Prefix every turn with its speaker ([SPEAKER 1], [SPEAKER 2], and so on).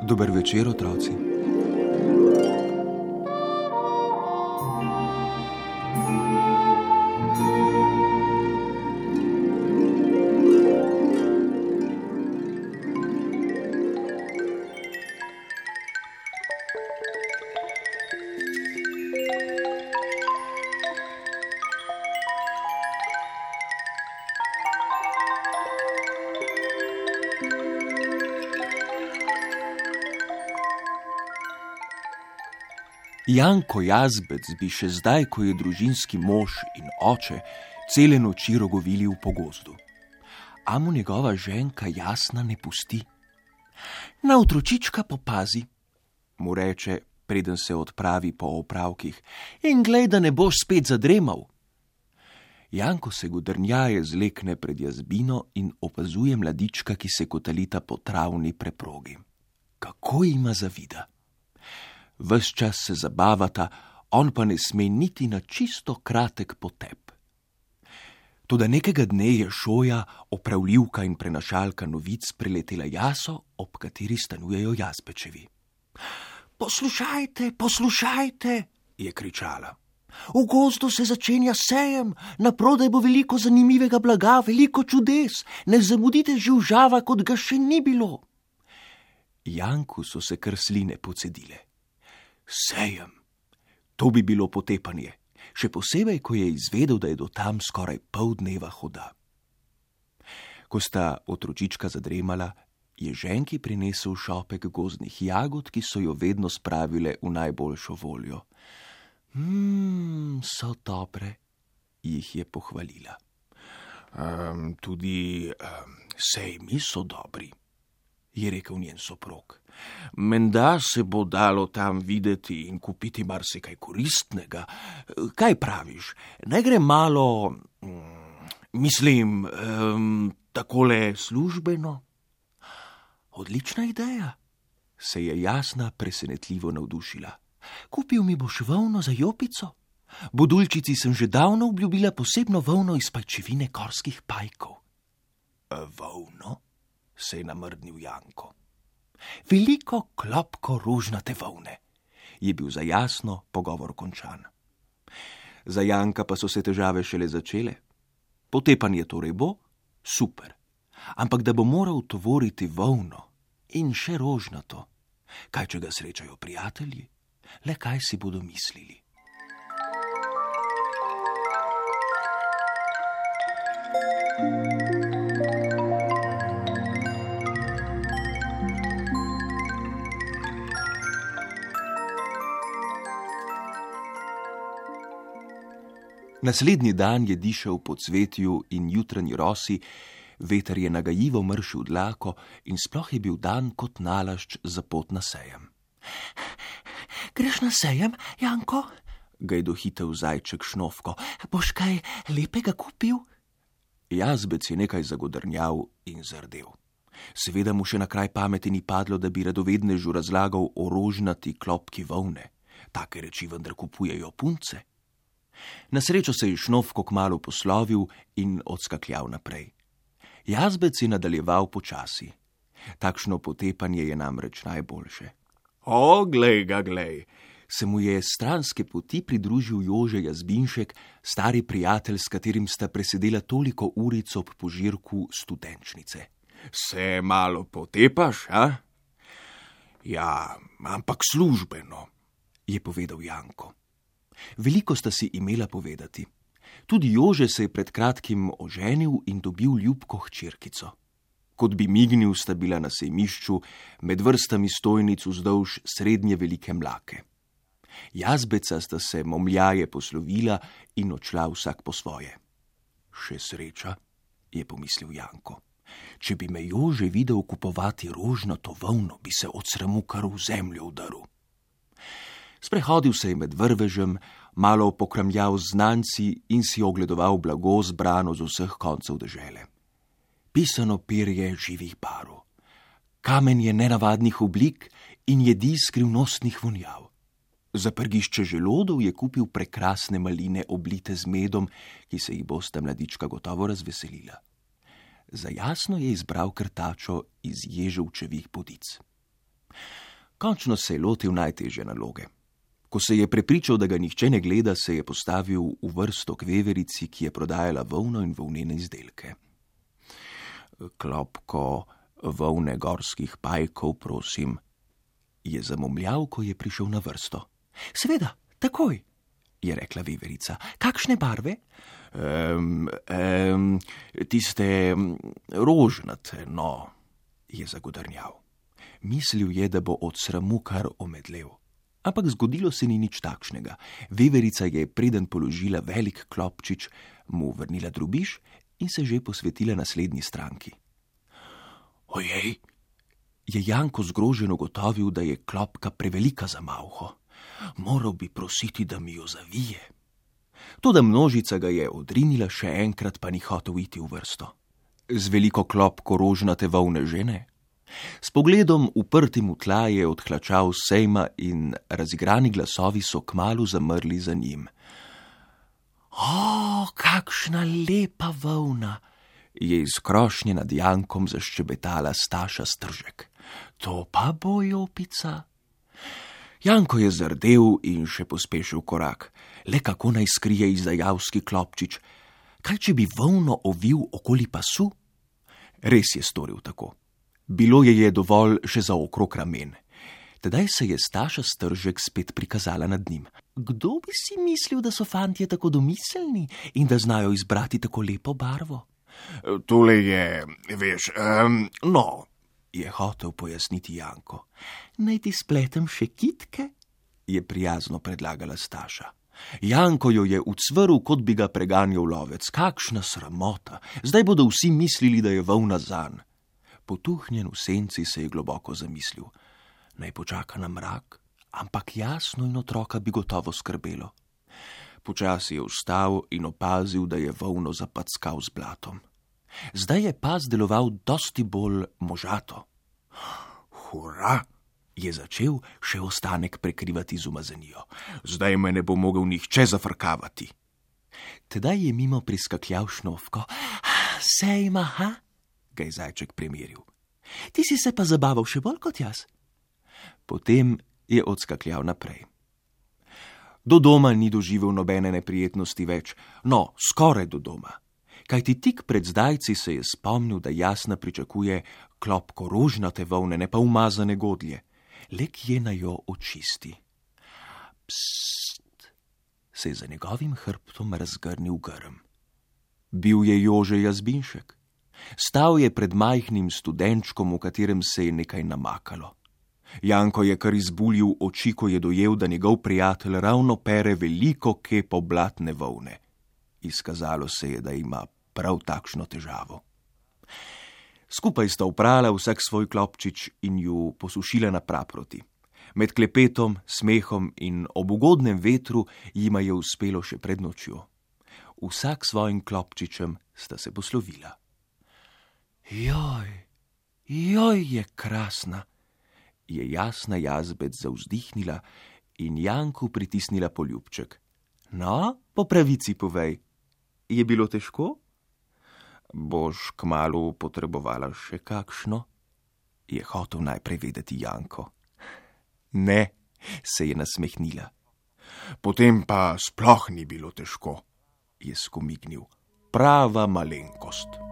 [SPEAKER 1] Dober večer, otroci. Janko Jazbec bi še zdaj, ko je družinski mož in oče, cele noči rogovili v pogozdu. A mu njegova ženka Jasna ne pusti. Na otročička popazi, mu reče, preden se odpravi po opravkih, in glej, da ne boš spet zadremal. Janko se godrnjaje zlekne pred jazbino in opazuje mladička, ki se kotalita po travni preprogi. Kako jima zavida. Ves čas se zabavata, on pa ne sme niti na čisto kratek potep. Toda nekega dne je Šoja, opravljivka in prenašalka novic, priletela jaso, ob kateri stanujejo Jazbečevi. Poslušajte, poslušajte, je kričala. V gozdu se začenja sejem, naprodaj bo veliko zanimivega blaga, veliko čudes, ne zamudite živžava, kot ga še ni bilo. Janku so se kar sline pocedile. Sejem. To bi bilo potepanje, še posebej, ko je izvedel, da je do tam skoraj pol dneva hoda. Ko sta otročička zadremala, je ženki prinesel šopek gozdnih jagod, ki so jo vedno spravile v najboljšo voljo. So dobre, jih je pohvalila. Tudi sejmi so dobri, je rekel njen soprog. Menda se bo dalo tam videti in kupiti marsikaj koristnega. Kaj praviš? Ne gre malo, takole službeno? Odlična ideja, se je Jasna presenetljivo navdušila. Kupil mi boš volno za jopico? Budulčici sem že davno obljubila posebno volno iz pajčevine gorskih pajkov. Volno? Se je namrdnil Janko. Veliko klopko rožnate volne, je bil za Jasno pogovor končan. Za Janka pa so se težave šele začele. Potepanje torej bo, super, ampak da bo moral tovoriti volno in še rožnato, kaj če ga srečajo prijatelji, le kaj si bodo mislili. Naslednji dan je dišal po cvetju in jutranji rosi, veter je nagajivo mršil dlako in sploh je bil dan kot nalašč za pot na sejem. Greš na sejem, Janko? Ga je dohitel zajček Šnofko. Boš kaj lepega kupil? Jazbec je nekaj zagodrnjal in zardel. Seveda mu še na kraj pameti ni padlo, da bi radovednežu razlagal o rožnati klopki volne. Take reči vendar kupujejo punce. Na srečo se je Šnofko kmalu poslovil in odskakljal naprej. Jazbec je nadaljeval počasi. Takšno potepanje je namreč najboljše. O, glej ga, glej, se mu je stranske poti pridružil Jože Jazbinšek, stari prijatelj, s katerim sta presedela toliko uric ob požirku studenčnice. Se malo potepaš, a? Ja, ampak službeno, je povedal Janko. Veliko sta si imela povedati. Tudi Jože se je pred kratkim oženil in dobil ljubko hčerkico. Kot bi mignil, sta bila na sejmišču med vrstami stojnic vzdolž srednje velike mlake. Jazbeca sta se momljaje poslovila in odšla vsak po svoje. Še sreča, je pomislil Janko. Če bi me Jože videl kupovati rožnato volno, bi se od sramu kar v zemljo udaril. Sprehodil se je med vrvežem, malo pokramljal z znanci in si ogledoval blago zbrano z vseh koncev dežele. Pisano perje živih barv, kamenje nenavadnih oblik in jedi skrivnostnih vonjav. Za prgišče želodov je kupil prekrasne maline oblite z medom, ki se jih bosta mladička gotovo razveselila. Za Jasno je izbral krtačo iz ježevčevih podic. Končno se je lotil najtežje naloge. Ko se je prepričal, da ga nihče ne gleda, se je postavil v vrsto k veverici, ki je prodajala volno in volnene izdelke. Klopko volne gorskih pajkov, prosim, je zamomljal, ko je prišel na vrsto. Seveda, takoj, je rekla veverica. Kakšne barve? Tiste rožnate, no, je zagodrnjal. Mislil je, da bo od sramu kar omedlel. Ampak zgodilo se ni nič takšnega. Veverica je preden položila velik klopčič, mu vrnila drobiž in se že posvetila naslednji stranki. Ojej, je Janko zgroženo ugotovil, da je klopka prevelika za malho. Moral bi prositi, da mi jo zavije. Toda množica ga je odrinila, še enkrat pa ni hotel iti v vrsto. Z veliko klopko rožnate volne žene? S pogledom uprtim v tla je odhlačal sejma in razigrani glasovi so kmalu zamrli za njim. O, kakšna lepa volna, je iz krošnje nad Jankom zaščebetala Staša Stržek. To pa bo jopica. Janko je zardel in še pospešil korak. Le kako naj skrije izdajavski klopčič? Kaj, če bi volno ovil okoli pasu? Res je storil tako. Bilo je dovolj še za okrog ramen. Tedaj se je Staša Stržek spet prikazala nad njim. Kdo bi si mislil, da so fantje tako domiselni in da znajo izbrati tako lepo barvo? Tole je, veš, no, je hotel pojasniti Janko. Naj ti spletem še kitke? Je prijazno predlagala Staša. Janko jo je ucvrl, kot bi ga preganjal lovec. Kakšna sramota! Zdaj bodo vsi mislili, da je volna zanj. Potuhnjen v senci se je globoko zamislil. Naj počaka na mrak, ampak Jasno in otroka bi gotovo skrbelo. Počasi je vstal in opazil, da je volno zapackal z blatom. Zdaj je pas deloval dosti bolj možato. Hura, je začel še ostanek prekrivati z umazanijo. Zdaj me ne bo mogel nihče zafrkavati. Tedaj je mimo priskakljal Šnovko. Sejma, ha? Ga je zajček premeril. Ti si se pa zabaval še bolj kot jaz. Potem je odskakljal naprej. Do doma ni doživel nobene neprijetnosti več, no, skoraj do doma. Kajti tik pred zdajci se je spomnil, da Jasna pričakuje klopko rožnate volne, ne pa umazane godlje. Le kje naj jo očisti. Psst, se je za njegovim hrbtom razgrnil grm. Bil je Jože Jazbinšek. Stal je pred majhnim studenčkom, v katerem se je nekaj namakalo. Janko je kar izbuljil oči, ko je dojel, da njegov prijatelj ravno pere veliko kepo blatne volne. Izkazalo se je, da ima prav takšno težavo. Skupaj sta oprala vsak svoj klopčič in ju posušila na praproti. Med klepetom, smehom in ob ugodnem vetru jima je uspelo še pred nočjo. Vsak svojim klopčičem sta se poslovila. Joj, je krasna, je Jasna Jazbec zavzdihnila in Janku pritisnila poljubček. No, po pravici povej, je bilo težko? Boš kmalu potrebovala še kakšno? Je hotel najprej vedeti Janko. Ne, se je nasmehnila. Potem pa sploh ni bilo težko, je skomignil. Prava malenkost.